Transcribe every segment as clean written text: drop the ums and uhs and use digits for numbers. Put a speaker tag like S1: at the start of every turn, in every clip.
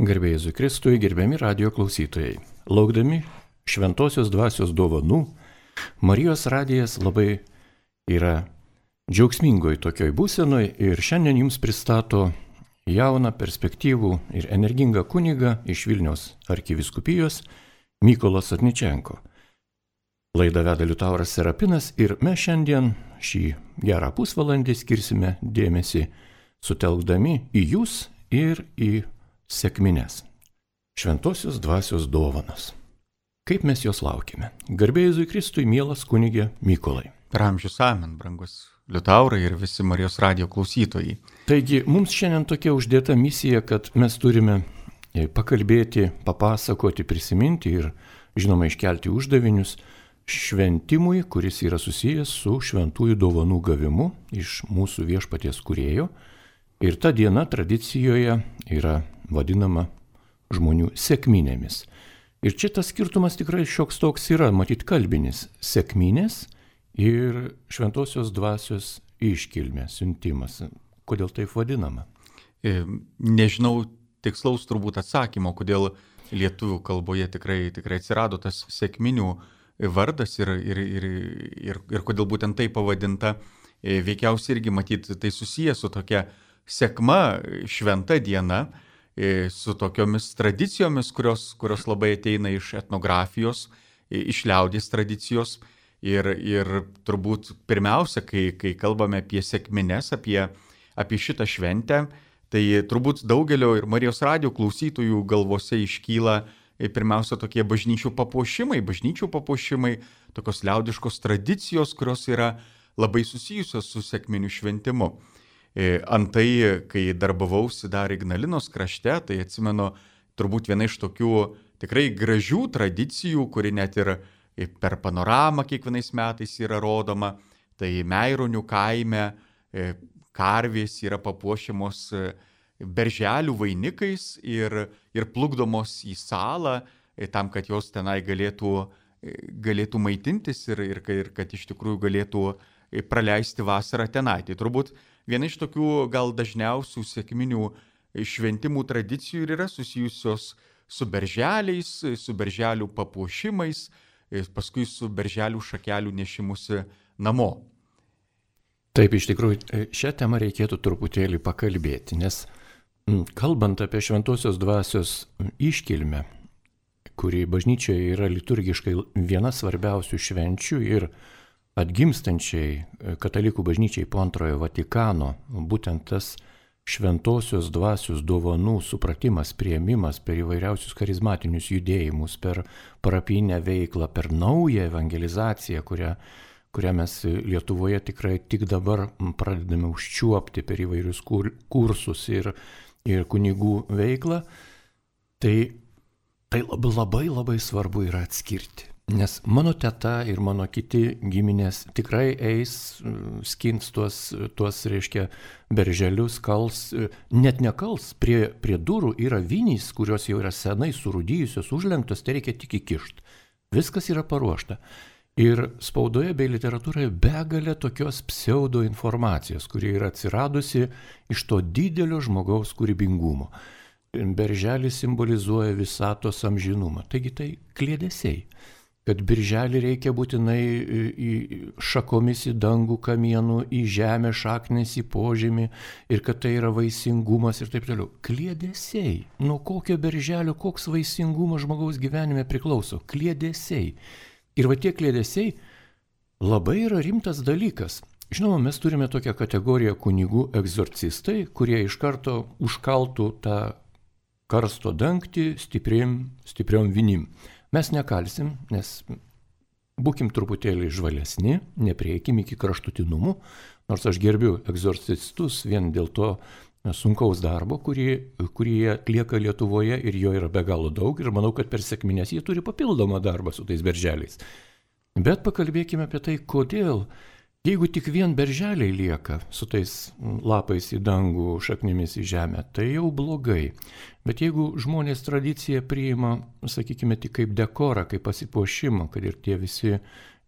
S1: Garbė Jėzui Kristui, gerbiami radijo klausytojai. Laukdami šventosios dvasios dovanų, Marijos radijas labai yra džiaugsmingoj tokioj būsenoj ir šiandien jums pristato jauną, perspektyvų ir energingą kunigą iš Vilniaus arkivyskupijos Mykolą Sotničenko. Laidą veda Liutauras Serapinas ir mes šiandien šį gerą pusvalandį skirsime dėmesį sutelkdami į jūs ir į sekmines. Šventosios dvasios dovanas. Kaip mes jos laukime? Garbė Jėzui Kristui, mielas kunigė Mykolai.
S2: Per amžius amen, brangus Liutaurai ir visi Marijos radijo klausytojai.
S1: Taigi, mums šiandien tokia uždėta misija, kad mes turime pakalbėti, papasakoti, prisiminti ir, žinoma, iškelti uždavinius šventimui, kuris yra susijęs su šventųjų dovanų gavimu iš mūsų viešpaties kūrėjo. Ir ta diena tradicijoje yra vadinama žmonių sekminėmis. Ir čia tas skirtumas tikrai šioks toks yra, matyt, kalbinis. Sekminės ir šventosios dvasios iškilmė, siuntimas. Kodėl taip vadinama?
S2: Nežinau tikslaus turbūt atsakymo, kodėl lietuvių kalboje tikrai atsirado tas sekminių vardas ir kodėl būtent tai pavadinta. Veikiausiai irgi matyti tai susijęs su tokia sekma, šventa diena, su tokiomis tradicijomis, kurios labai ateina iš etnografijos, iš liaudies tradicijos. Ir turbūt pirmiausia, kai kalbame apie sekmines, apie šitą šventę, tai turbūt daugelio ir Marijos radijo klausytojų galvose iškyla pirmiausia tokie bažnyčių papuošimai, tokios liaudiškos tradicijos, kurios yra labai susijusios su sekminių šventimu. Antai, kai darbavausi dar Ignalinos krašte, tai atsimenu turbūt viena iš tokių tikrai gražių tradicijų, kuri net ir per panoramą kiekvienais metais yra rodoma, tai Meironių kaime karvės yra papuošiamos berželių vainikais ir plukdomos į salą, tam, kad jos tenai galėtų maitintis ir kad iš tikrųjų galėtų praleisti vasarą tenai. Tai turbūt viena iš tokių gal dažniausių sekminių šventimų tradicijų ir yra susijusios su berželiais, su berželių papuošimais, paskui su berželių šakelių nešimusi namo.
S1: Taip, iš tikrųjų, šią temą reikėtų truputėlį pakalbėti, nes kalbant apie šventosios dvasios iškilmę, kuri bažnyčioje yra liturgiškai viena svarbiausių švenčių ir atgimstančiai katalikų bažnyčiai po antrojo Vatikano, būtent tas šventosios dvasios dovanų supratimas, priėmimas per įvairiausius charizmatinius judėjimus, per parapinę veiklą, per naują evangelizaciją, kurią mes Lietuvoje tikrai tik dabar pradedame užčiuopti per įvairius kursus ir kunigų veiklą, tai labai svarbu yra atskirti. Nes mano teta ir mano kiti giminės tikrai eis, skins tuos reiškia, berželius, kals, net nekals, prie durų yra vinys, kurios jau yra senai surūdijusios, užlenktos, tai reikia tik įkišti. Viskas yra paruošta. Ir spaudoje bei literatūroje begalė tokios pseudo informacijos, kuri yra atsiradusi iš to didelio žmogaus kūrybingumo. Berželis simbolizuoja visatos amžinumą. Taigi tai kliedesiai. Kad birželį reikia būtinai šakomis į dangų kamienų, į žemę šaknis, į požemį ir kad tai yra vaisingumas ir taip toliau. Kliedesiai. Nuo kokio birželio, koks vaisingumas žmogaus gyvenime priklauso? Kliedesiai. Ir va tie kliedesiai labai yra rimtas dalykas. Žinoma, mes turime tokią kategoriją kunigų egzorcistai, kurie iš karto užkaltų tą karsto dangtį stipriom vinim. Mes nekalsim, nes būkim truputėlį žvalesni, neprieikim iki kraštutinumų, nors aš gerbiu egzorcistus vien dėl to sunkaus darbo, kurį jie atlieka Lietuvoje ir jo yra be galo daug ir manau, kad per sekmines jie turi papildomą darbą su tais berželiais. Bet pakalbėkime apie tai, kodėl. Jeigu tik vien berželiai lieka su tais lapais į dangų, šaknimis į žemę, tai jau blogai. Bet jeigu žmonės tradiciją priima, sakykime, tik kaip dekorą, kaip pasipuošimą, kad ir tie visi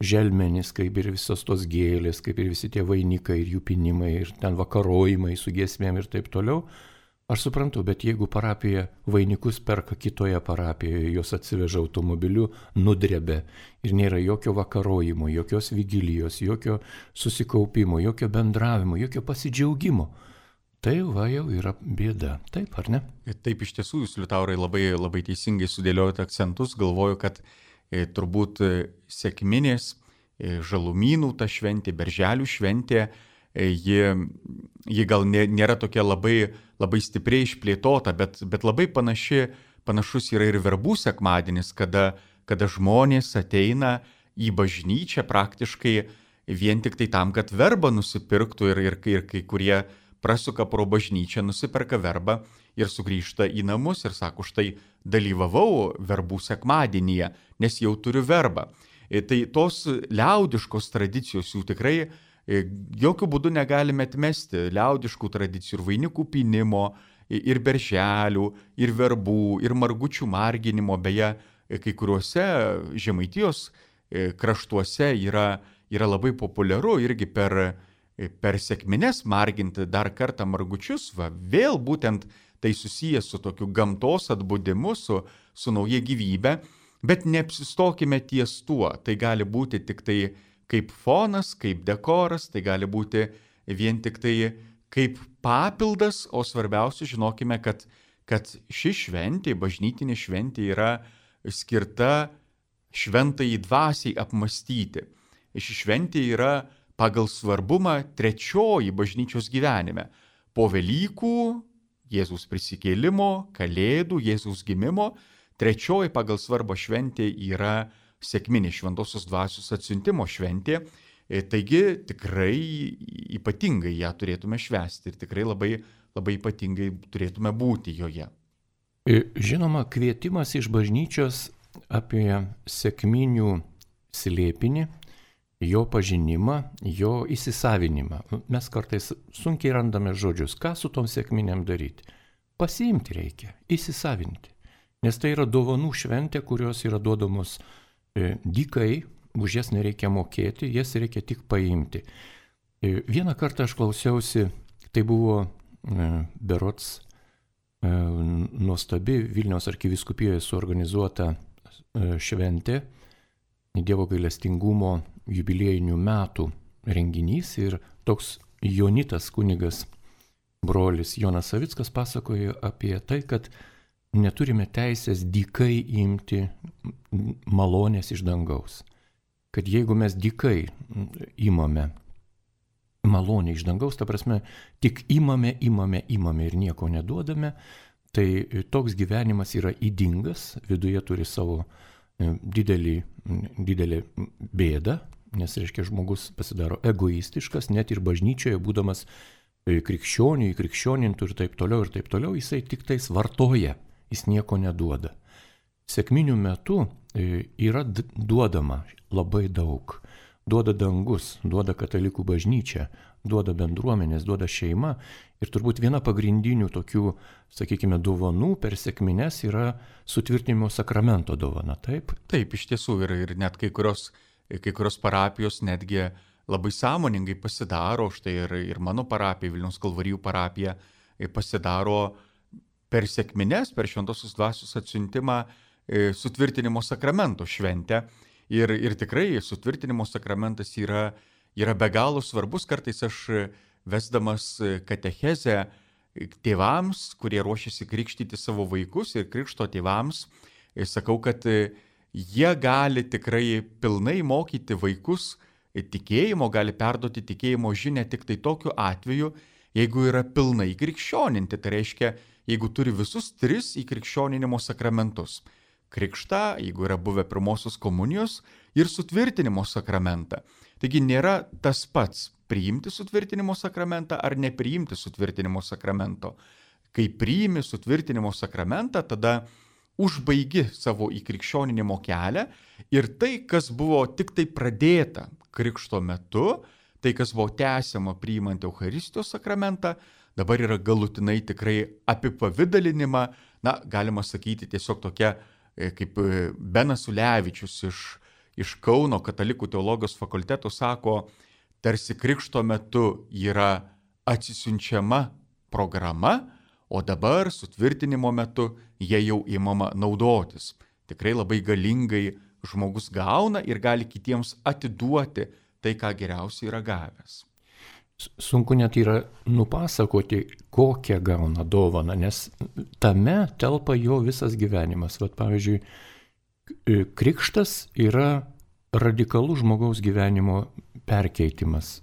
S1: želmenys, kaip ir visos tos gėlės, kaip ir visi tie vainikai ir jų pinimai ir ten vakarojimai su giesmėm ir taip toliau, Aš suprantu, bet jeigu parapija vainikus perka kitoje parapijoje, jos atsiveža automobiliu, nudrebė ir nėra jokio vakarojimo, jokios vigilijos, jokio susikaupimo, jokio bendravimo, jokio pasidžiaugimo, tai va jau yra bėda. Taip, ar ne?
S2: Taip, iš tiesų, jūs, Liutaurai, labai teisingai sudėliojate akcentus. Galvoju, kad turbūt sekminės, žalumynų ta šventė, berželių šventė, ji gal nėra tokia labai stipriai išplėtota, bet labai panašus yra ir verbų sekmadienis, kada žmonės ateina į bažnyčią praktiškai vien tik tai tam, kad verbą nusipirktų ir kai kurie prasuka pro bažnyčią, nusiperka verbą ir sugrįžta į namus ir sako, štai dalyvavau verbų sekmadienyje, nes jau turiu verbą. Tai tos liaudiškos tradicijos jų tikrai jokių būdų negalime atmesti, liaudiškų tradicijų ir vainikų pynimo, ir berželių, ir verbų, ir margučių marginimo, beje, kai kuriuose Žemaitijos kraštuose yra labai populiaru irgi per sekmines marginti dar kartą margučius, vėl būtent tai susijęs su tokiu gamtos atbudimu, su nauja gyvybe, bet neapsistokime ties tuo, tai gali būti tik tai kaip fonas, kaip dekoras, tai gali būti vien tik tai kaip papildas, o svarbiausia žinokime, kad ši šventė, bažnytinė šventė yra skirta šventai dvasiai apmastyti. Ši šventė yra pagal svarbumą trečioji bažnyčios gyvenime. Po Velykų, Jėzaus prisikėlimo, Kalėdų, Jėzaus gimimo, trečioji pagal svarbą šventė yra sekminė šventosios dvasios atsiuntimo šventė, taigi tikrai ypatingai ją turėtume švęsti ir tikrai labai ypatingai turėtume būti joje.
S1: Žinoma, kvietimas iš bažnyčios apie sekminių slėpinį, jo pažinimą, jo įsisavinimą. Mes kartais sunkiai randame žodžius, ką su tom sekminėm daryti. Pasiimti reikia, įsisavinti, nes tai yra dovanų šventė, kurios yra duodamos dykai, už jas nereikia mokėti, jas reikia tik paimti. Vieną kartą aš klausiausi, tai buvo berods nuostabi Vilniaus arkivyskupijoje suorganizuota šventė, Dievo gailestingumo jubiliejinių metų renginys ir toks Jonitas kunigas brolis Jonas Savickas pasakojo apie tai, kad neturime teisės dykai imti malonės iš dangaus. Kad jeigu mes dykai imame malonę iš dangaus, ta prasme, tik imame ir nieko neduodame, tai toks gyvenimas yra ydingas, viduje turi savo didelį bėdą, nes, reiškia, žmogus pasidaro egoistiškas, net ir bažnyčioje, būdamas krikščionių, įkrikščionintų ir taip toliau, jisai tik tais vartoja. Jis nieko neduoda. Sekminių metu yra duodama labai daug. Duoda dangus, duoda katalikų bažnyčia, duoda bendruomenės, duoda šeima. Ir turbūt viena pagrindinių tokių, sakykime, dovanų per sekmines yra sutvirtinimo sakramento dovana, taip?
S2: Taip, iš tiesų ir net kai kurios parapijos netgi labai sąmoningai pasidaro, štai ir mano parapija, Vilniaus Kalvarijų parapija, pasidaro per sekmines, per šventosios dvasios atsiuntimą sutvirtinimo sakramento šventę. Ir tikrai sutvirtinimo sakramentas yra be galo svarbus. Kartais aš vesdamas katechezę tėvams, kurie ruošiasi krikštyti savo vaikus ir krikšto tėvams, sakau, kad jie gali tikrai pilnai mokyti vaikus tikėjimo, gali perduoti tikėjimo žinią tik tai tokiu atveju, jeigu yra pilnai krikščioninti. Tai reiškia, jeigu turi visus 3 įkrikščioninimo sakramentus. Krikštą, jeigu yra buvę pirmosios komunijos ir sutvirtinimo sakramentą. Taigi nėra tas pats priimti sutvirtinimo sakramentą ar nepriimti sutvirtinimo sakramento. Kai priimi sutvirtinimo sakramentą, tada užbaigi savo įkrikščioninimo kelią ir tai, kas buvo tik tai pradėta krikšto metu, tai, kas buvo tęsiama priimant Eucharistijos sakramentą, dabar yra galutinai tikrai apipavidalinima, galima sakyti tiesiog tokia, kaip Benas Ulevičius iš Kauno katalikų teologijos fakulteto sako, tarsi krikšto metu yra atsisiunčiama programa, o dabar sutvirtinimo metu jie jau įmama naudotis. Tikrai labai galingai žmogus gauna ir gali kitiems atiduoti tai, ką geriausiai yra gavęs.
S1: Sunku net yra nupasakoti, kokią gauna dovaną, nes tame telpa jo visas gyvenimas. Vat, pavyzdžiui, krikštas yra radikalus žmogaus gyvenimo perkeitimas,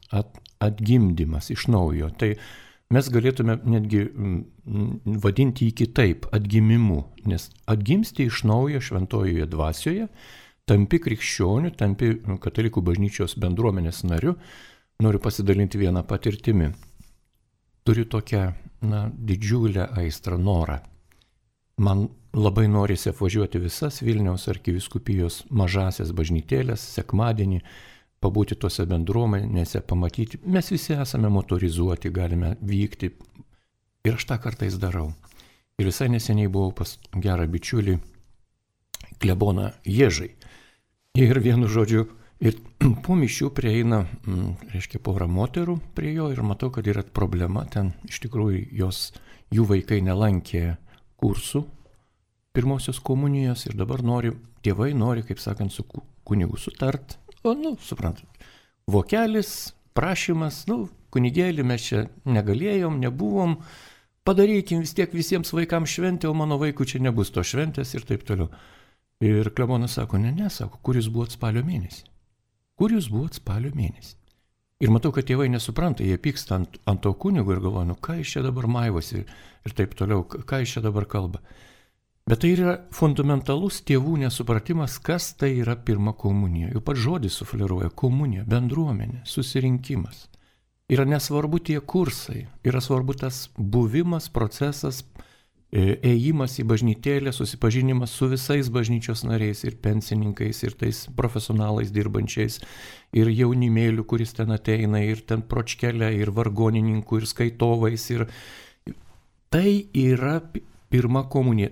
S1: atgimdymas iš naujo. Tai mes galėtume netgi vadinti jį kitaip, atgimimu, nes atgimsti iš naujo šventojoje dvasioje, tampi krikščioniu, tampi katalikų bažnyčios bendruomenės nariu. Noriu pasidalinti vieną patirtimį. Turiu tokią didžiulę aistrą, norą. Man labai norisi apvažiuoti visas Vilniaus arkivyskupijos mažasias bažnytėlės, sekmadienį, pabūti tose bendruomenėse, pamatyti. Mes visi esame motorizuoti, galime vykti. Ir aš tą kartais darau. Ir visai neseniai buvau pas gerą bičiulį, kleboną Ježai. Ir vienu žodžiu, ir po mišių prieina, porą moterų prie jo ir matau, kad yra problema. Ten iš tikrųjų jų vaikai nelankė kursų pirmosios komunijos ir dabar tėvai nori, kaip sakant, su kunigu sutart. O, suprantat, vokelis, prašymas, kunigėlį mes čia negalėjom, nebuvom, padarykim vis tiek visiems vaikams šventę, o mano vaikų čia nebus to šventės ir taip toliau. Ir klebonas sako, sako, kur jūs buvot spalio mėnesį? Kur jūs buvot spalio mėnesį? Ir matau, kad tėvai nesupranta, jie pyksta ant to kunigo ir galvoja, ką jis čia dabar maivosi ir taip toliau, ką jis čia dabar kalba. Bet tai yra fundamentalus tėvų nesupratimas, kas tai yra pirma komunija. Jau pats žodis sufleruoja komunija, bendruomenė, susirinkimas. Yra nesvarbu tie kursai, yra svarbu tas buvimas, procesas, ėjimas į bažnytėlę, susipažinimas su visais bažnyčios nariais ir pensininkais, ir tais profesionalais dirbančiais, ir jaunimėliu, kuris ten ateina, ir ten pročkelė, ir vargonininkų, ir skaitovais. Ir tai yra pirma komunija.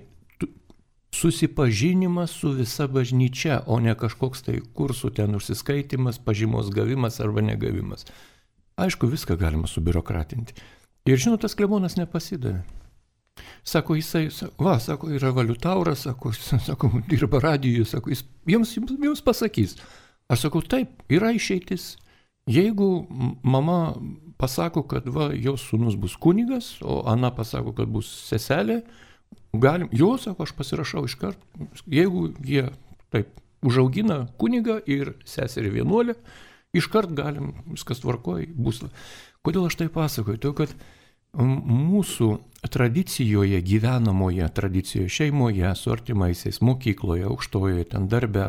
S1: Susipažinimas su visa bažnyčia, o ne kažkoks tai kursų ten užsiskaitimas, pažymos gavimas arba negavimas. Aišku, viską galima subiurokratinti. Ir žinot, tas klebonas nepasidavė. Sako, sako, yra valiutauras, sako, dirba radijuje, sako, jis jums pasakys. Aš sakau, taip, yra išeitis. Jeigu mama pasako, kad jos sūnus bus kunigas, o Ana pasako, kad bus seselė, sako, aš pasirašau iškart. Jeigu jie taip užaugina kunigą ir seserį vienuolę, iškart galim, viskas tvarkoja, bus. Kodėl aš tai pasakoju? Todėl, kad mūsų tradicijoje, gyvenamoje tradicijoje, šeimoje, su artimaisiais, mokykloje, aukštojoje, ten darbe,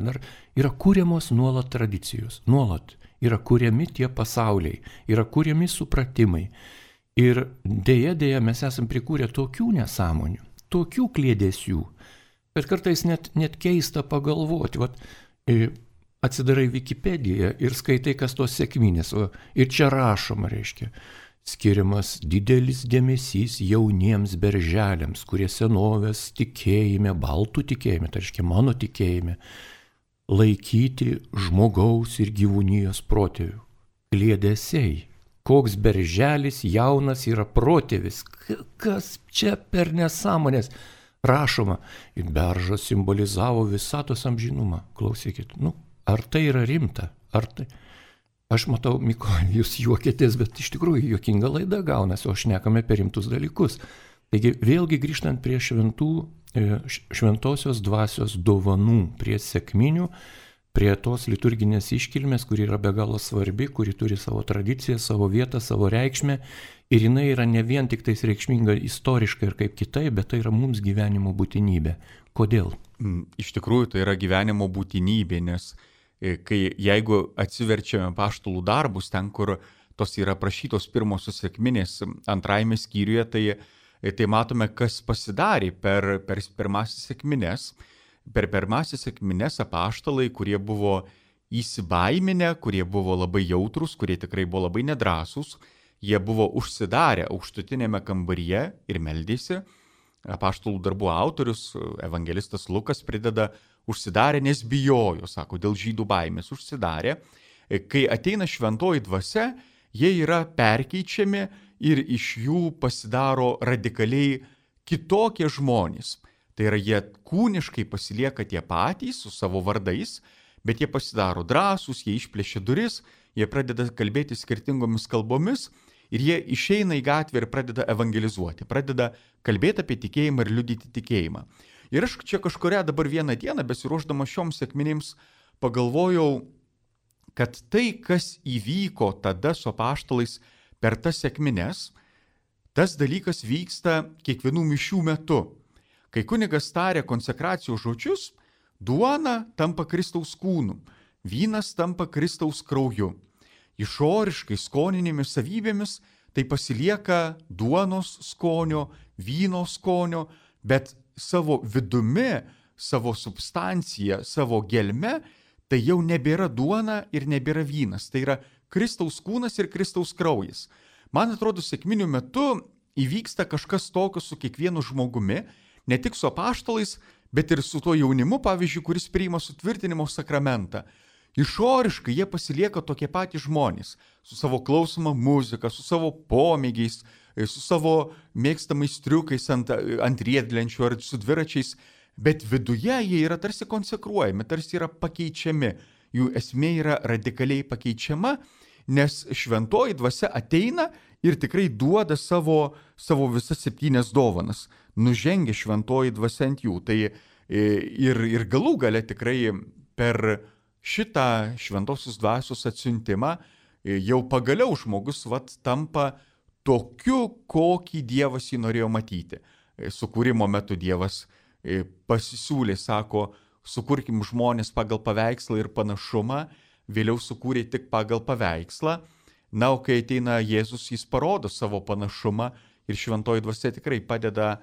S1: yra kūriamos nuolat tradicijos. Nuolat yra kūriami tie pasauliai, yra kūriami supratimai. Ir dėja mes esam prikūrę tokių nesąmonių, tokių kliedesių, bet kartais net keista pagalvoti. Atsidarai Wikipediją ir skaitai, kas tos sekminės. Ir čia rašoma, skiriamas didelis dėmesys jauniems berželiams, kurie senovės tikėjime, baltų tikėjime, tai reiškia mano tikėjime, laikyti žmogaus ir gyvūnijos protėvių. Kliedesiai. Koks berželis jaunas yra protėvis. Kas čia per nesąmonės? Rašoma, ir beržas simbolizavo visatos amžinumą. Klausykit, ar tai yra rimta? Aš matau, Mykolai, jūs juokėtės, bet iš tikrųjų juokinga laida gaunasi, o šnekame apie rimtus dalykus. Taigi vėlgi grįžtant prie šventosios dvasios dovanų, prie sekminių, prie tos liturginės iškilmės, kuri yra be galo svarbi, kuri turi savo tradiciją, savo vietą, savo reikšmę. Ir jinai yra ne vien tik tais reikšminga istoriškai ir kaip kitaip, bet tai yra mums gyvenimo būtinybė. Kodėl?
S2: Iš tikrųjų tai yra gyvenimo būtinybė, nes jeigu atsiverčiame apaštalų darbus, ten, kur tos yra aprašytos pirmosios sekminės antrajame skyriuje, tai matome, kas pasidarė per pirmasis sekmines. Per pirmasis sekmines apaštalai, kurie buvo įsibaiminę, kurie buvo labai jautrus, kurie tikrai buvo labai nedrąsūs, jie buvo užsidarę aukštutinėme kambaryje ir meldėsi. Apaštalų darbų autorius, evangelistas Lukas, prideda užsidarė, nes bijojo, sako, dėl žydų baimės užsidarė. Kai ateina šventoji dvasia, jie yra perkeičiami ir iš jų pasidaro radikaliai kitokie žmonės. Tai yra, jie kūniškai pasilieka tie patys su savo vardais, bet jie pasidaro drąsūs, jie išplėšia duris, jie pradeda kalbėti skirtingomis kalbomis ir jie išeina į gatvę ir pradeda evangelizuoti, pradeda kalbėti apie tikėjimą ir liudyti tikėjimą. Ir aš čia kažkurią dabar vieną dieną, besiruošdama šioms sekminims, pagalvojau, kad tai, kas įvyko tada su apaštalais per tas sekmines, tas dalykas vyksta kiekvienų mišių metu. Kai kunigas taria konsekracijos žodžius, duona tampa Kristaus kūnu, vynas tampa Kristaus krauju. Išoriškai skoninėmis savybėmis tai pasilieka duonos skonio, vyno skonio, bet savo vidumi, savo substancija, savo gelme, tai jau nebėra duona ir nebėra vynas. Tai yra Kristaus kūnas ir Kristaus kraujas. Man atrodo, sekminių metu įvyksta kažkas tokio su kiekvienu žmogumi, ne tik su apaštalais, bet ir su tuo jaunimu, pavyzdžiui, kuris priima sutvirtinimo sakramentą. Išoriškai jie pasilieka tokie patys žmonės, su savo klausoma muzika, su savo pomėgiais, su savo mėgstamais triukais ant riedlenčių ar su dviračiais, bet viduje jie yra tarsi konsekruojami, tarsi yra pakeičiami. Jų esmė yra radikaliai pakeičiama, nes šventoji dvasia ateina ir tikrai duoda savo visas 7 dovanas. Nužengia šventoji dvasia ant jų. Tai ir galų gale tikrai per šitą šventosios dvasios atsiuntimą jau pagaliau žmogus tampa tokiu, kokį Dievas jį norėjo matyti. Sukūrimo metu Dievas pasisiūlė, sako, sukurkim žmonės pagal paveikslą ir panašumą, vėliau sukūrė tik pagal paveikslą. Na, o kai ateina Jėzus, jis parodo savo panašumą ir šventoji dvasia tikrai padeda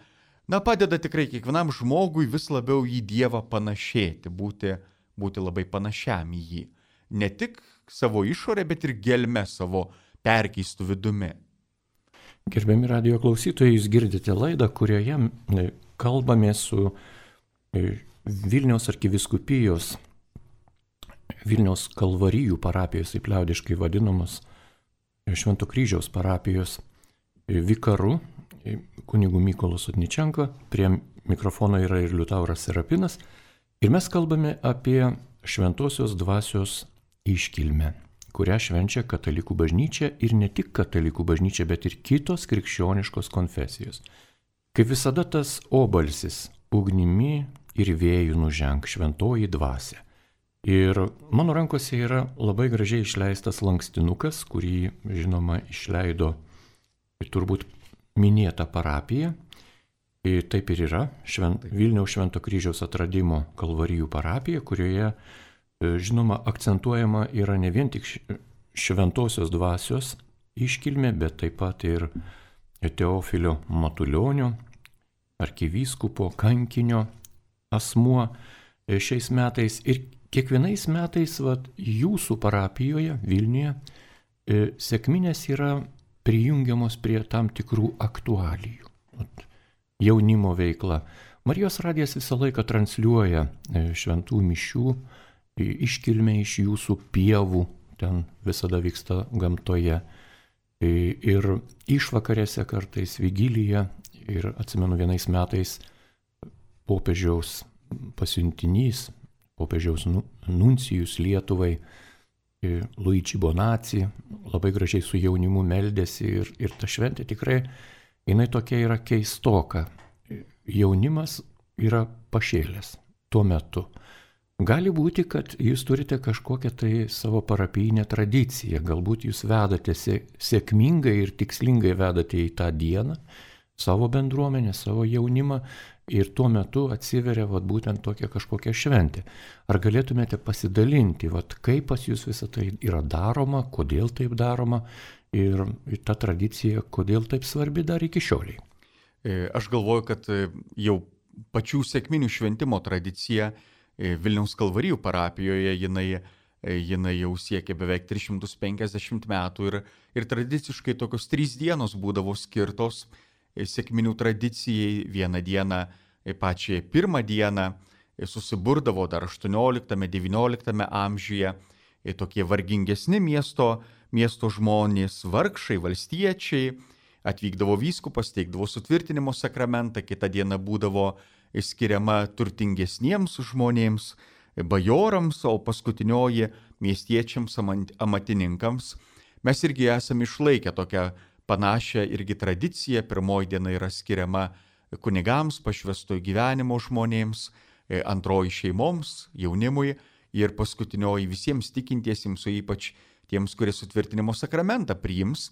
S2: tikrai kiekvienam žmogui vis labiau į Dievą panašėti, būti labai panašiam į jį. Ne tik savo išorę, bet ir gelme savo perkeistų vidumi.
S1: Gerbiami radijo klausytojai, jūs girdite laidą, kurioje kalbame su Vilniaus arkivyskupijos, Vilniaus Kalvarijų parapijos, taip liaudiškai vadinamos, Švento Kryžiaus parapijos vikaru, kunigu Mykolu Sotničenko. Prie mikrofono yra ir Liutauras Serapinas. Ir mes kalbame apie šventosios dvasios iškilmę, kurią švenčia katalikų bažnyčia ir ne tik katalikų bažnyčia, bet ir kitos krikščioniškos konfesijos. Kaip visada tas obalsis ugnimi ir vėjų nuženk šventoji dvasia. Ir mano rankose yra labai gražiai išleistas lankstinukas, kurį, žinoma, išleido turbūt minėta parapija. Ir taip ir yra Vilniaus Švento Kryžiaus atradimo Kalvarijų parapija, kurioje, žinoma, akcentuojama yra ne vien tik šventosios dvasios iškilmė, bet taip pat ir Teofilio Matulionio, arkivyskupo, kankinio asmuo šiais metais. Ir kiekvienais metais jūsų parapijoje Vilniuje sekminės yra prijungiamos prie tam tikrų aktualijų. Jaunimo veikla. Marijos radijas visą laiką transliuoja šventų mišių iškilmę iš jūsų pievų, ten visada vyksta gamtoje. Ir išvakarėse kartais vigilyje, ir atsimenu vienais metais popiežiaus pasiuntinys, popiežiaus nuncijus Lietuvai, Luigi Bonacci, labai gražiai su jaunimu meldėsi ir ta šventė tikrai, jinai tokia yra keistoka. Jaunimas yra pašėlęs tuo metu. Gali būti, kad jūs turite kažkokią tai savo parapijinę tradiciją, galbūt jūs vedate sėkmingai ir tikslingai vedate į tą dieną savo bendruomenę, savo jaunimą ir tuo metu atsiveria būtent tokia kažkokia šventė. Ar galėtumėte pasidalinti, kaip pas jūs visą tai yra daroma, kodėl taip daroma ir ta tradicija, kodėl taip svarbi dar iki šioliai?
S2: Aš galvoju, kad jau pačių sekminių šventimo tradicija Vilniaus Kalvarijų parapijoje jinai jau siekia beveik 350 metų ir tradiciškai tokios 3 dienos būdavo skirtos sekminių tradicijai. Vieną dieną, pačią pirmą dieną susiburdavo dar 18-19 amžiuje tokie vargingesni miesto žmonės, vargšai, valstiečiai, atvykdavo vyskupas, teikdavo sutvirtinimo sakramentą, kita diena būdavo skiriama turtingesniems žmonėms, bajorams, o paskutinioji miestiečiams, amatininkams. Mes irgi esame išlaikę tokią panašią irgi tradiciją. Pirmoji diena yra skiriama kunigams, pašvęstojo gyvenimo žmonėms, antroji šeimoms, jaunimui ir paskutinioji visiems tikintiesiems, o ypač tiems, kurie sutvirtinimo sakramentą priims.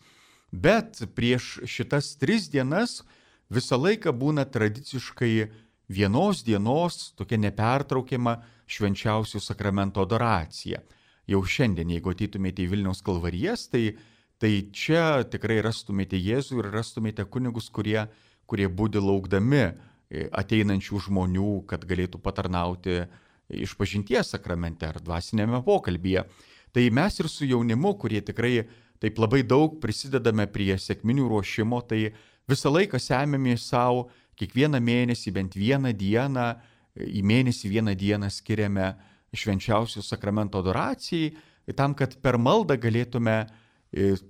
S2: Bet prieš šitas 3 dienas visą laiką būna tradiciškai vienos dienos tokia nepertraukiama švenčiausių sakramento adoracija. Jau šiandien, jeigu ateitumėte į Vilniaus kalvarijas, tai čia tikrai rastumėte Jėzų ir rastumėte kunigus, kurie budi laukdami ateinančių žmonių, kad galėtų patarnauti išpažinties sakramente ar dvasinėme pokalbyje. Tai mes ir su jaunimu, kurie tikrai taip labai daug prisidedame prie sekminių ruošimo, tai visą laiką semiamės savo kiekvieną mėnesį bent vieną dieną, į mėnesį vieną dieną skiriame švenčiausių sakramento adoracijai, tam, kad per maldą galėtume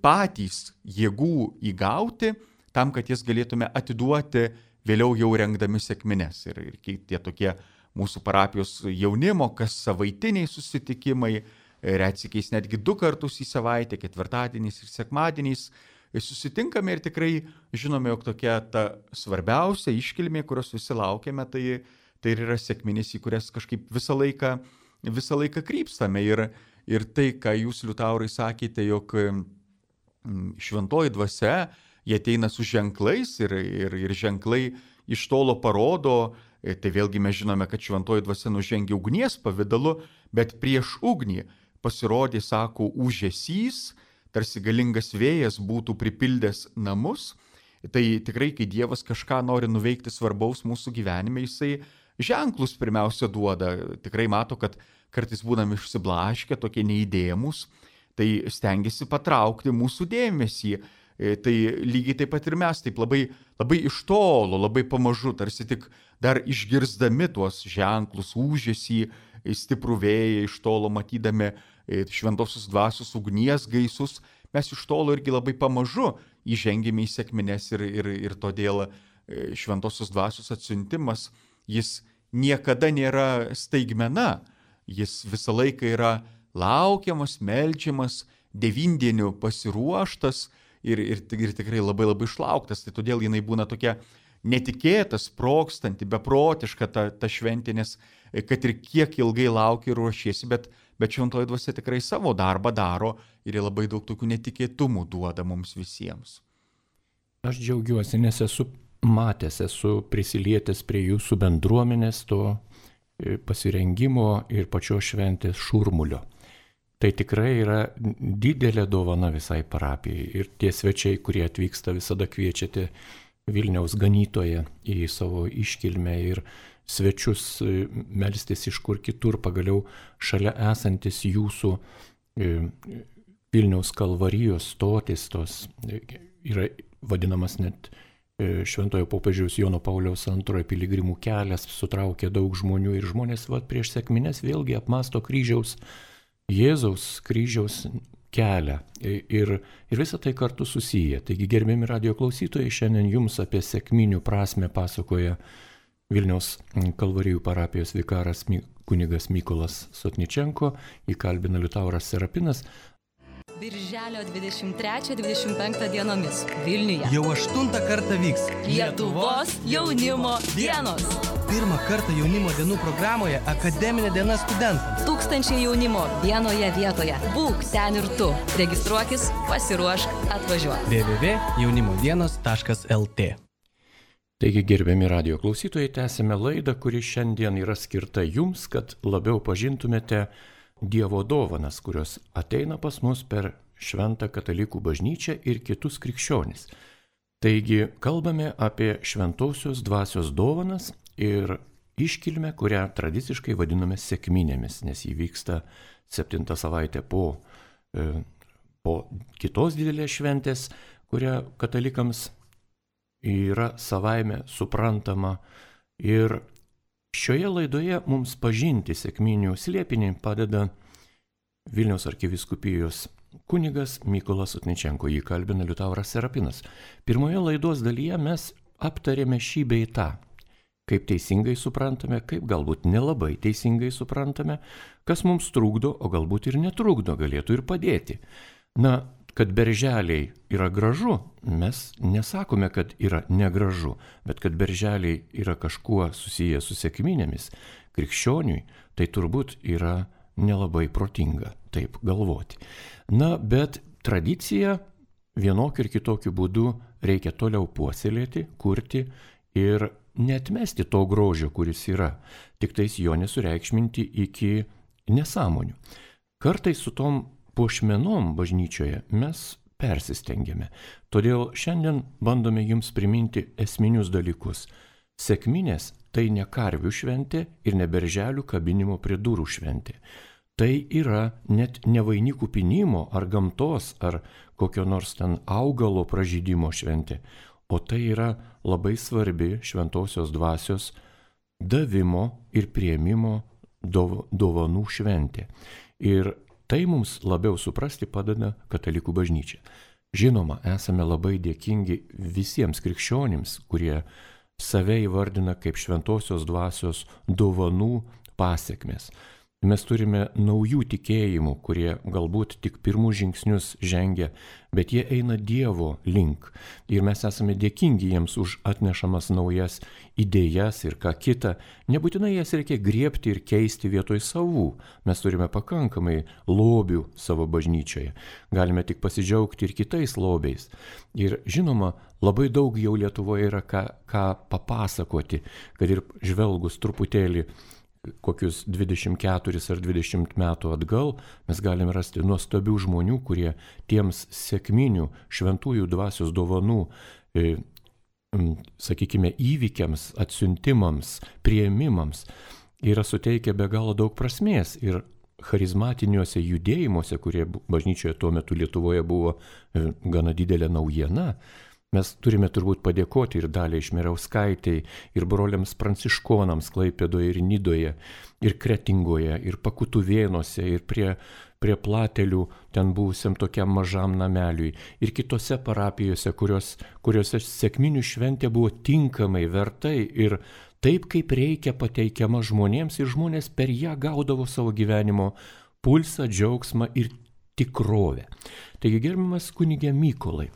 S2: patys jėgų įgauti, tam, kad jas galėtume atiduoti vėliau jau rengdami sekmines. Ir tie tokie mūsų parapijos jaunimo, kas savaitiniai susitikimai, retsykiais netgi 2 kartus į savaitę, ketvirtadieniais ir sekmadieniais, susitinkame ir tikrai žinome, jog tokia ta svarbiausia iškilmė, kurios visi laukiame, tai ir yra sekminės, į kurias kažkaip visą laiką krypstame. Ir tai, ką jūs, Liutaurai, sakėte, jog šventoji dvasia, jie ateina su ženklais ir ženklai iš tolo parodo, tai vėlgi mes žinome, kad šventoji dvasia nužengia ugnies pavidalu, bet prieš ugnį pasirodė, sako, ūžesys, tarsi galingas vėjas būtų pripildęs namus. Tai tikrai, kai Dievas kažką nori nuveikti svarbaus mūsų gyvenime, jisai ženklus pirmiausia duoda. Tikrai mato, kad kartais būnam išsiblaškę, tokie neįdėmus, tai stengiasi patraukti mūsų dėmesį. Tai lygiai taip pat ir mes, taip labai iš tolo, labai pamažu, tarsi tik dar išgirsdami tuos ženklus, ūžesį, stiprų vėją, iš tolo matydami šventosios dvasios ugnies gaisus, mes iš tolo irgi labai pamažu įžengėme į sekmines ir todėl šventosios dvasios atsiuntimas, jis niekada nėra staigmena, jis visą laiką yra laukiamas, meldžiamas, devindienių pasiruoštas ir tikrai labai išlauktas. Tai todėl jinai būna tokia netikėta, sprogstanti, beprotiška ta šventė, nes kad ir kiek ilgai lauki ir ruošiesi, bet šventoji dvasia tikrai savo darbą daro ir labai daug tokių netikėtumų duoda mums visiems.
S1: Aš džiaugiuosi, nes esu prisilietęs prie jūsų bendruomenės, to pasirengimo ir pačios šventės šurmulio. Tai tikrai yra didelė dovana visai parapijai. Ir tie svečiai, kurie atvyksta, visada kviečiate Vilniaus ganytoją į savo iškilmę ir svečius melstis iš kur kitur, pagaliau šalia esantis jūsų Vilniaus kalvarijos stotis, tos yra vadinamas net Šventojo popiežiaus Jono Pauliaus II piligrimų kelias, sutraukia daug žmonių ir žmonės prieš sekmines vėlgi apmąsto Jėzaus kryžiaus kelią ir visą tai kartu susiję. Taigi, gerbiami radijo klausytojai, šiandien jums apie sekminių prasmę pasakoja Vilniaus kalvarijų parapijos vikaras kunigas Mykolas Sotničenko, įkalbina Liutauras Serapinas.
S3: Birželio 23-25 dienomis Vilniuje
S4: jau 8 kartą vyks
S3: Lietuvos jaunimo dienos.
S4: 1 kartą jaunimo dienų programoje akademinė diena studentams.
S3: 1000 jaunimo vienoje vietoje. Būk ten ir tu. Registruokis, pasiruošk, atvažiuok.
S4: www.jaunimodienos.lt.
S1: Taigi, gerbiami radijo klausytojai, tęsime laidą, kuri šiandien yra skirta jums, kad labiau pažintumėte Dievo dovanas, kurios ateina pas mus per Šventą katalikų bažnyčią ir kitus krikščionis. Taigi, kalbame apie šventosios dvasios dovanas ir iškilmę, kurią tradiciškai vadiname sekminėmis, nes jį vyksta 7 savaitę po kitos didelės šventės, kurią katalikams yra savaime suprantama. Ir šioje laidoje mums pažinti sekminių slėpinį padeda Vilniaus arkivyskupijos kunigas Mykolas Otničenko, jį kalbina Liutauras Serapinas. Pirmoje laidos dalyje mes aptarėme šį bei tą. Kaip teisingai suprantame, kaip galbūt nelabai teisingai suprantame, kas mums trukdo, o galbūt ir netrukdo, galėtų ir padėti. Na, kad berželiai yra gražu, mes nesakome, kad yra negražu, bet kad berželiai yra kažkuo susiję su sekminėmis, krikščioniui, tai turbūt yra nelabai protinga taip galvoti. Na, bet tradiciją vienokiu ir kitokiu būdu reikia toliau puoselėti, kurti ir neatmesti to grožio, kuris yra, tik tais jo nesureikšminti iki nesąmonių. Kartais su tom puošmenom bažnyčioje mes persistengiame. Todėl šiandien bandome jums priminti esminius dalykus. Sekminės tai ne karvių šventė ir ne berželių kabinimo prie durų šventė. Tai yra net ne vainikų pynimo ar gamtos ar kokio nors ten augalo pražydimo šventė, o tai yra labai svarbi šventosios dvasios davimo ir priėmimo dovanų šventė. Ir tai mums labiau suprasti padeda Katalikų bažnyčia. Žinoma, esame labai dėkingi visiems krikščionims, kurie save įvardina kaip šventosios dvasios dovanų pasekmės. Mes turime naujų tikėjimų, kurie galbūt tik pirmus žingsnius žengia, bet jie eina Dievo link. Ir mes esame dėkingi jiems už atnešamas naujas idėjas ir ką kita. Nebūtinai jas reikia griebti ir keisti vietoj savų. Mes turime pakankamai lobių savo bažnyčioje. Galime tik pasidžiaugti ir kitais lobiais. Ir žinoma, labai daug jau Lietuvoje yra ką papasakoti, kad ir žvelgus truputėlį kokius 24 ar 20 metų atgal, mes galime rasti nuostabių žmonių, kurie tiems sekminių šventųjų dvasios dovanų, sakykime, įvykiams, atsiuntimams, priėmimams yra suteikę be galo daug prasmės. Ir charizmatiniuose judėjimuose, kurie bažnyčioje tuo metu Lietuvoje buvo gana didelė naujiena, mes turime turbūt padėkoti ir Daliai Šmiriauskaitei, ir broliams pranciškonams Klaipėdoje ir Nidoje, ir Kretingoje, ir Pakutuvėnuose, ir prie Platelių, ten buvusiam tokiam mažam nameliui, ir kitose parapijose, kuriuose sekminių šventė buvo tinkamai, vertai ir taip, kaip reikia pateikiama žmonėms, ir žmonės per ją gaudavo savo gyvenimo pulsą, džiaugsmą ir tikrovę. Taigi, gerbiamas kunige Mykolai,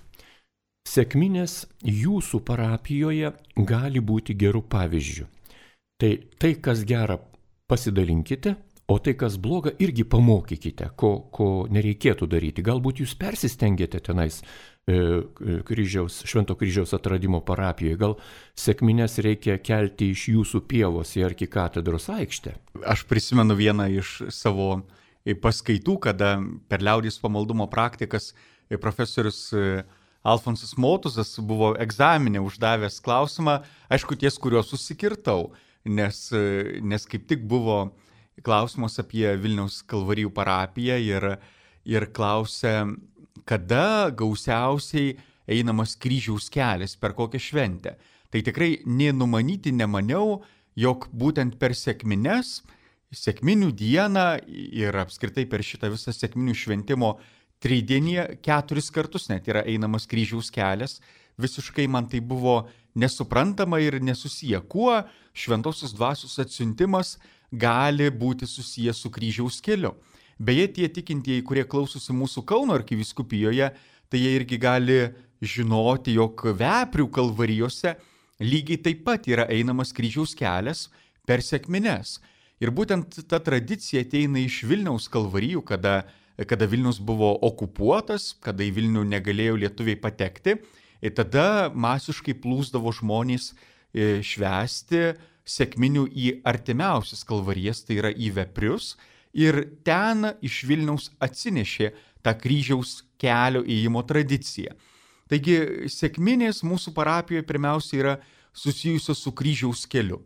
S1: sekminės jūsų parapijoje gali būti gerų pavyzdžių. Tai, kas gera, pasidalinkite, o tai, kas bloga, irgi pamokykite, ko nereikėtų daryti. Galbūt jūs persistengėte tenais Švento kryžiaus atradimo parapijoje. Gal sekminės reikia kelti iš jūsų pievos į arkikatedros aikštę?
S2: Aš prisimenu vieną iš savo paskaitų, kada per liaudies pamaldumo praktikas profesorius Alfonsas Motuzas buvo egzaminę uždavęs klausimą, aišku, ties kuriuo susikirtau, nes kaip tik buvo klausimas apie Vilniaus Kalvarijų parapiją ir klausė, kada gausiausiai einamas kryžiaus kelias, per kokią šventę. Tai tikrai nenumanyti nemaniau, jog būtent per sekmines, sekminių dieną ir apskritai per šitą visą sekminių šventimo tridienį 4 kartus net yra einamas kryžiaus kelias. Visiškai man tai buvo nesuprantama ir nesusiję. Kuo šventosios dvasios atsiuntimas gali būti susijęs su kryžiaus keliu? Beje, tie tikintieji, kurie klausosi mūsų Kauno arkivyskupijoje, tai jie irgi gali žinoti, jog Veprių kalvarijose lygiai taip pat yra einamas kryžiaus kelias per sekmines. Ir būtent ta tradicija ateina iš Vilniaus kalvarijų, kada Vilnius buvo okupuotas, kada į Vilnių negalėjo lietuviai patekti, ir tada masiškai plūsdavo žmonės švęsti sekminių į artimiausias kalvarijas, tai yra į Veprius, ir ten iš Vilniaus atsinešė tą kryžiaus kelio ėjimo tradiciją. Taigi sekminės mūsų parapijoje pirmiausia yra susijusios su kryžiaus keliu.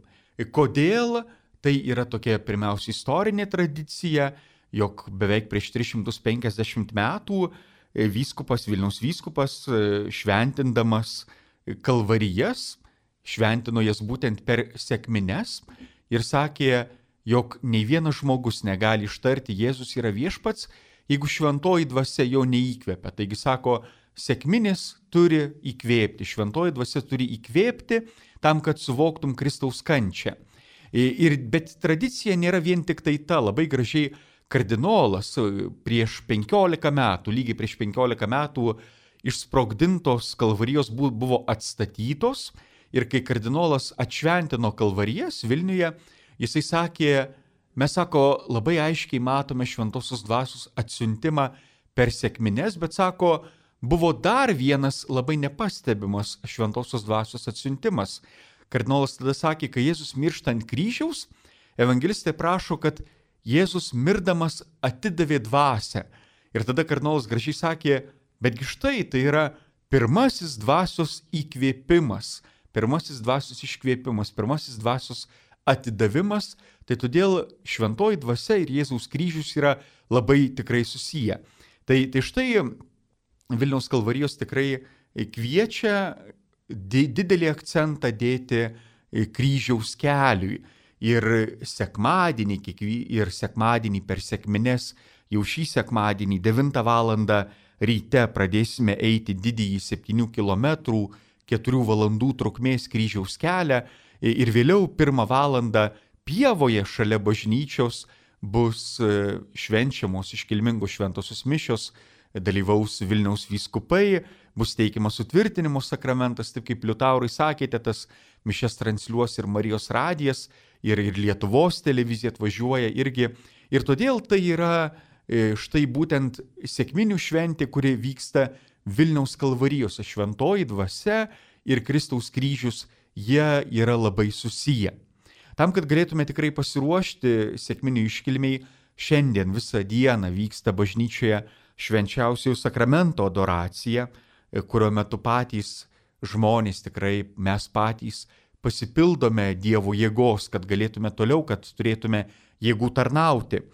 S2: Kodėl? Tai yra tokia pirmiausia istorinė tradicija, jog beveik prieš 350 metų Vilniaus vyskupas šventindamas kalvarijas, šventino jas būtent per sekmines ir sakė, jog nei vienas žmogus negali ištarti Jėzus yra viešpats, jeigu šventoji dvasia jo neįkvepia. Taigi sako, sekminis turi įkvėpti, šventoji dvasia turi įkvėpti tam, kad suvoktum Kristaus kančią. Bet tradicija nėra vien tik tai ta, labai gražiai kardinolas prieš 15 metų, lygiai prieš 15 metų išsprogdintos kalvarijos buvo atstatytos ir kai kardinolas atšventino kalvarijas Vilniuje, jisai sakė, mes sako, labai aiškiai matome šventosios dvasios atsiuntimą per sekmines, bet sako, buvo dar vienas labai nepastebimas šventosios dvasios atsiuntimas. Kardinolas tada sakė, kai Jėzus miršta ant kryžiaus, evangelistai prašo, kad Jėzus mirdamas atidavė dvasią. Ir tada kardinolas gražiai sakė, betgi štai tai yra pirmasis dvasios įkvėpimas, pirmasis dvasios iškvėpimas, pirmasis dvasios atidavimas, tai todėl šventoji dvasia ir Jėzaus kryžius yra labai tikrai susiję. Tai štai Vilniaus kalvarijos tikrai kviečia didelį akcentą dėti kryžiaus keliui. Ir sekmadienį per sekmines, jau šį sekmadienį 9 valandą ryte pradėsime eiti didįjį 7 km, 4 valandų trukmės kryžiaus kelią ir vėliau 1 valandą pievoje šalia bažnyčios bus švenčiamos iškilmingos šventosios mišios, dalyvaus Vilniaus vyskupai, bus teikiamas sutvirtinimo sakramentas, taip kaip Liutaurai sakėte, tas mišias transliuos ir Marijos radijas, ir Lietuvos televizija atvažiuoja irgi. Ir todėl tai yra štai būtent sekminių šventė, kuri vyksta Vilniaus kalvarijose. Šventoji dvasia ir Kristaus kryžius, jie yra labai susiję. Tam, kad galėtume tikrai pasiruošti sekminių iškilmiai, šiandien visą dieną vyksta bažnyčioje švenčiausiojo sakramento adoracija, kurio metu patys žmonės, tikrai mes patys pasipildome Dievo jėgos, kad galėtume toliau, kad turėtume jėgų tarnauti.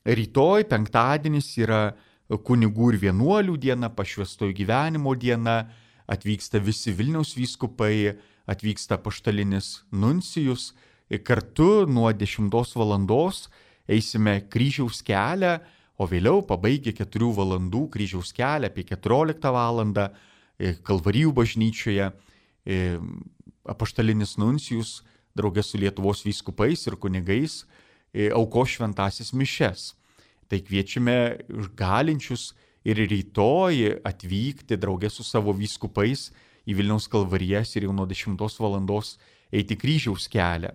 S2: Rytoj, penktadienis, yra kunigų ir vienuolių diena, pašvęstojo gyvenimo diena, atvyksta visi Vilniaus vyskupai, atvyksta apaštalinis nuncijus, kartu nuo 10 valandos eisime kryžiaus kelią, o vėliau pabaigę 4 valandų kryžiaus kelią apie 14 valandą Kalvarijų bažnyčioje apaštalinis nuncijus draugė su Lietuvos vyskupais ir kunigais aukos šventąsias mišias. Tai kviečiame galinčius ir rytoj atvykti draugė su savo vyskupais į Vilniaus kalvarijas ir jau nuo 10 valandos eiti kryžiaus kelią.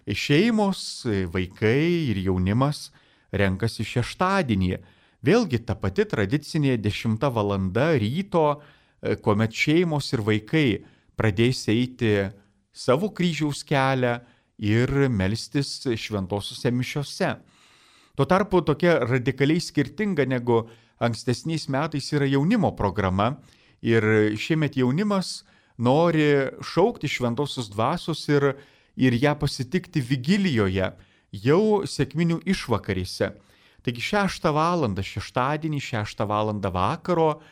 S2: Šeimos, vaikai ir jaunimas renkasi šeštadienį. Vėlgi ta pati tradicinė 10 valanda ryto, kuomet šeimos ir vaikai pradės eiti savo kryžiaus kelią ir melstis šventosiuose mišiose. Tuo tarpu tokia radikaliai skirtinga negu ankstesniais metais yra jaunimo programa ir šiemet jaunimas nori šaukti šventosios dvasios ir ją pasitikti vigilijoje, jau sekminių išvakarėse. Taigi 6 valandą šeštadienį, 6 valandą vakaro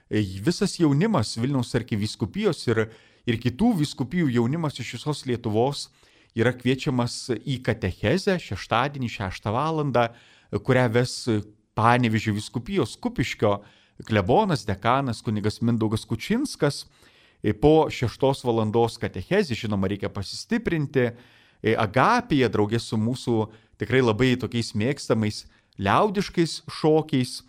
S2: visas jaunimas Vilniaus arkivyskupijos ir kitų vyskupijų jaunimas iš visos Lietuvos yra kviečiamas į katechezę šeštadienį 6 valandą, kurią ves Panevėžio vyskupijos Kupiškio klebonas, dekanas kunigas Mindaugas Kučinskas. Po 6 valandos katechezį, žinoma, reikia pasistiprinti agapėje draugė su mūsų tikrai labai tokiais mėgstamais liaudiškais šokiais.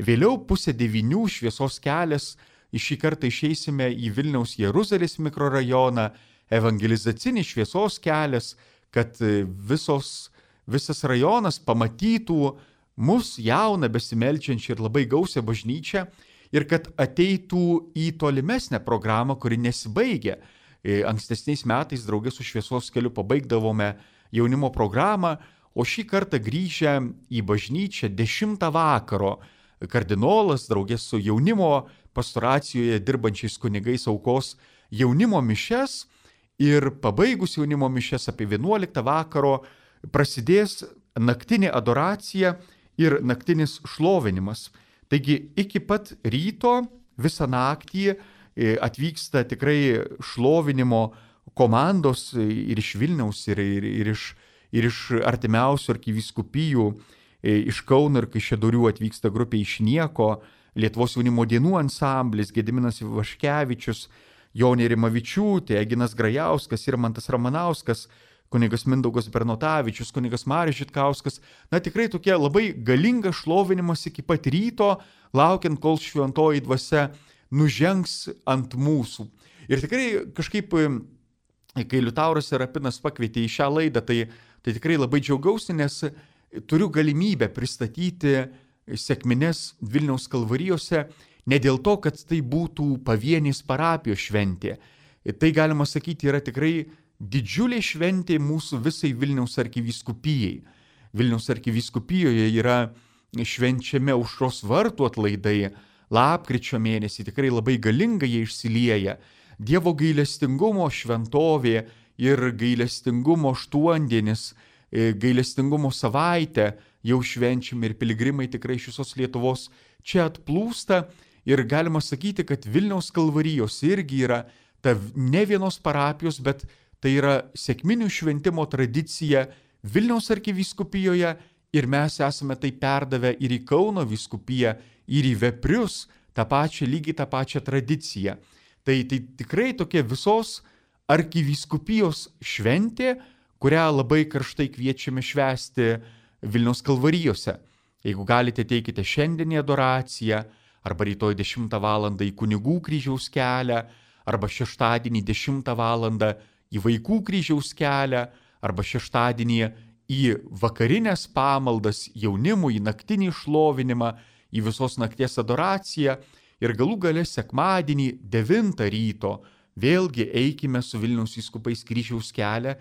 S2: Vėliau 8:30 šviesos kelias, šį kartą išeisime į Vilniaus Jeruzalės mikrorajoną, evangelizacinis šviesos kelias, kad visas rajonas pamatytų mus jauną, besimeldžiančią ir labai gausią bažnyčią ir kad ateitų į tolimesnę programą, kuri nesibaigia. Ankstesniais metais draugė su šviesos keliu pabaigdavome jaunimo programą, o šį kartą grįžę į bažnyčią 10 vakaro kardinolas draugė su jaunimo pastoracijoje dirbančiais kunigais aukos jaunimo mišias ir pabaigus jaunimo mišias apie 11 vakaro prasidės naktinė adoracija ir naktinis šlovinimas. Taigi iki pat ryto visą naktį atvyksta tikrai šlovinimo komandos ir iš Vilniaus, ir iš artimiausių arkivyskupijų iš Kauno ir Kaišiadorių atvyksta grupė Iš nieko, Lietuvos jaunimo dienų ansamblis, Gediminas Vaškevičius, Jonė Rimavičiūtė, Eginas Grajauskas, Irmantas Ramanauskas, kunigas Mindaugas Bernotavičius, kunigas Marius Žitkauskas. Na tikrai tokie labai galingas šlovinimas iki pat ryto, laukiant, kol šventoji dvasia nužengs ant mūsų. Ir tikrai kažkaip, kai Liutauras Serapinas pakvietė į šią laidą, tai tikrai labai džiaugiausi, nes turiu galimybę pristatyti sekmines Vilniaus Kalvarijose ne dėl to, kad tai būtų pavienės parapijos šventė. Tai, galima sakyti, yra tikrai didžiulė šventė mūsų visai Vilniaus arkivyskupijai. Vilniaus arkivyskupijoje yra švenčiami Aušros vartų atlaidai, lapkričio mėnesį tikrai labai galingai jie išsilieja. Dievo gailestingumo šventovė ir gailestingumo aštuondienis, gailestingumo savaitę jau švenčiami ir piligrimai tikrai iš visos Lietuvos čia atplūsta. Ir galima sakyti, kad Vilniaus Kalvarijos irgi yra ta ne vienos parapijos, bet tai yra sekminių šventimo tradicija Vilniaus arkivyskupijoje ir mes esame tai perdavę ir į Kauno vyskupiją, ir į Veprius, lygiai tą pačią tradiciją. Tai tikrai tokia visos arkivyskupijos šventė, kurią labai karštai kviečiame švęsti Vilniaus Kalvarijose. Jeigu galite, teikite šiandien į adoraciją, arba rytoj 10 val. Į kunigų kryžiaus kelią, arba šeštadienį 10 val. Į vaikų kryžiaus kelią, arba šeštadienį į vakarinės pamaldas jaunimui, į naktinį šlovinimą, į visos nakties adoraciją ir galų gale sekmadienį 9 ryto vėlgi eikime su Vilniaus vyskupais kryžiaus kelią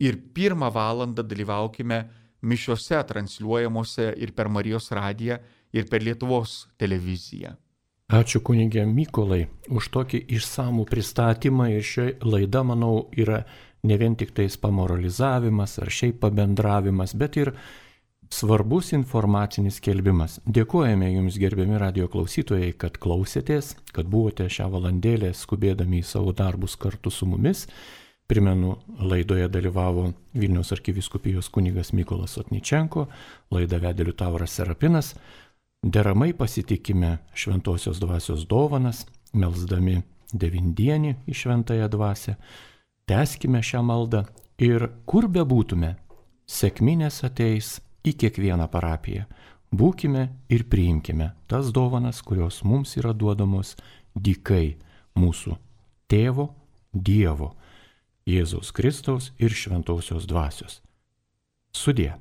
S2: ir 1 val. Dalyvaukime mišiose transliuojamuose ir per Marijos radiją, ir per Lietuvos televiziją.
S1: Ačiū kunigė Mykolai už tokį išsamų pristatymą ir ši laida, manau, yra ne vien tik tais pamoralizavimas ar šiaip pabendravimas, bet ir svarbus informacinis skelbimas. Dėkojame Jums, gerbiami radijo klausytojai, kad klausėtės, kad buvote šią valandėlę skubėdami į savo darbus kartu su mumis. Primenu, laidoje dalyvavo Vilniaus arkivyskupijos kunigas Mykolas Otničenko, laidą vedė Liutauras Serapinas. Deramai pasitikime šventosios dvasios dovanas, melsdami 9-dienį į šventąją dvasią. Tęskime šią maldą ir kur bebūtume, sekminės ateis į kiekvieną parapiją. Būkime ir priimkime tas dovanas, kurios mums yra duodamos dykai mūsų Tėvo, Dievo, Jėzaus Kristaus ir šventosios dvasios. Sudie.